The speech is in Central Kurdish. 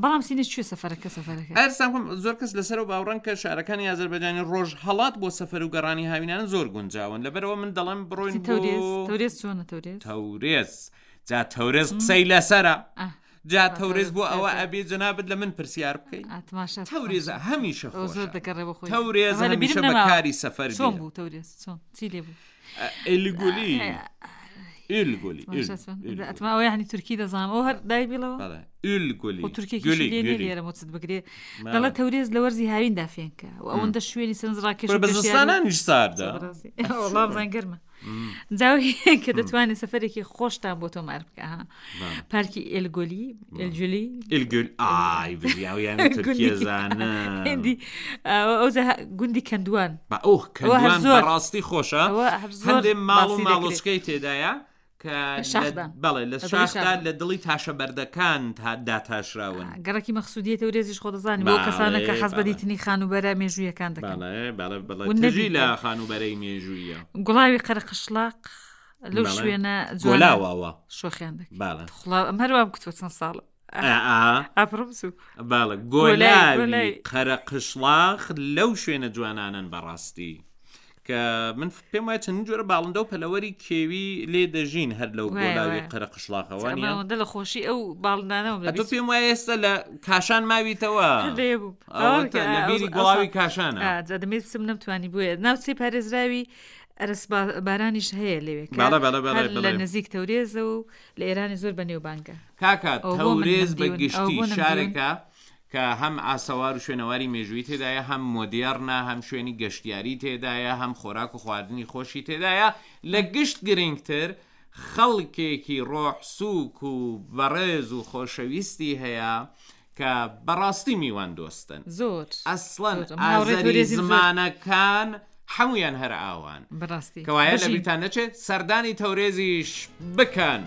بەڵام سینە کوێ سەفەرەکە سەفەرەکە؟ ئەرسان خۆم زۆر کەس لەسەرەوە باوەڕن کە شارەکانی ئازەربایجانی ڕۆژهەڵات بۆ سەفەر و گەڕانی هاوینانە زۆر گونجاون لەبەرەوە من دەڵێم بڕۆین چی تەورێز بۆ تەورێز چۆنە تەورێز تەورێز جا تەورێز قسەی لەسەرە ئاه، جا آه، تەورێز تەورێز بۆ قسەی ئەوە لەسەرە. ئەبێ جەنابت لە من پرسیار بکەی ئاه، تماشا تەورێز تماشا. هەمیشە ئەو زۆر خۆشە دەگەڕێ بۆ خۆی تەورێز ئەمە لە بیرم هەمیشە بە نەماوە کاری سەفەر چۆن بیرە بوو تەورێز چۆن چی لێ بوو ئێلگولی ئێلگولی تماشا چۆن ئەتما ئەوە یعنی تورکی دەزانم ئەو هەر دای بیڵەوە بەڵێ ئولگولی خۆ تورکێکیشی لێ نییە لێرە مۆچت بگرێ دەڵێ تەورێز لە وەرزی هاویندا فێنکە و ئەوەندە شوێنی سەرنجڕاکێش بە و گەشتیاری زستانانیش ساردە بەڕاستی وەڵا بزان گەرمە جاوی کە دەتوانێت سەفەرێکی خۆشتان بۆ تۆمار بکە ها. پارکی ئێلگۆلی ئێلجولی ئلگول ئای بژیاویان تورکیە زانم هندی ئەو گوندی کەندوان بە ئەوه ئەوە هەر کەندوان زۆر. بەڕاستی خۆشە ئەوە هەر زۆر هەندێک ماڵ و باسی دەکرێت. ماڵۆچکەی تێدایە کە لە شاخدان. بەڵێ لە لە دڵی شاخدا شاخدان. لە دڵی تاشە بەردەکان تا داتاشراون گەڕەکی مەخسودیە تەورێزیش خۆ دەزانی بۆ کەسانە کە بەڵێ، حەز بە بەڵێ. دیتنی خانووبەرە مێژوویەکان دەکەن بەڵێ بەڵێ بەڵێ ون تژی نەبی لە خانووبەرەی مێژوویە گوڵاوی قەرەقشڵاق لەو بەڵێ. شوێنە جوانە گۆلاواوە شۆخیان دەکرد بەڵێ خوڵا ئەم هەروام کوتوە چەند ساڵە ئا ئا ئاپڕم سوو بەڵێ گۆلای گۆلاوی گۆلای قەرەقشڵاخ لەو شوێنە جوانانەن بەڕاستی کە من پێم وایە چەندین جۆرە باڵندە و پەلەوەری کێوی لێ دەژین هەر لەو وایە گۆلاوی وایە قەرەقشڵاخەوە نییە ئەوەندە لە خۆشی ئەو باڵندانەوەم لە ئەتۆ بیست پێم وایە ئێستا لە کاشان ماویتەوە لێ بوو ئەوەتە باوەڕکە لە ئەو بیری ئەوسا گۆڵاوی کاشانە ئا، جا دەمێ بچم نەمتوانی بۆیە ناوچەی پارێزراوی ئەرس بارانیش هەیە لەوێ کە بەڵێ بەڵێ بەڵێ هەر لە بەڵێ نزیک تەورێزە و لە ئێرانی زۆر بەنێوبانگە کاکە ئەوە بۆ من تەورێز بە نەمدیون ئەوە گشتی بۆ نەمدیون شارێکە کە هەم ئاسەوار و شوێنەواری مێژووی تێدایە هەم مۆدێڕنە هەم شوێنی گەشتیاری تێدایە هەم خۆراک و خواردنی خۆشی تێدایە لە گشت گرنگتر خەڵکێکی ڕۆح سووک و بەڕێز و خۆشەویستی هەیە کە بەڕاستی میوان دۆستن زۆر ئەسڵەن زۆر من هاوڕێ ئازەری تەورێزیم زۆر زمانەکان هەموویان هەر ئاوان بەڕاستی کەوایە بژین لەبیرتان نەچێت سەردانی تەورێزیش بکەن.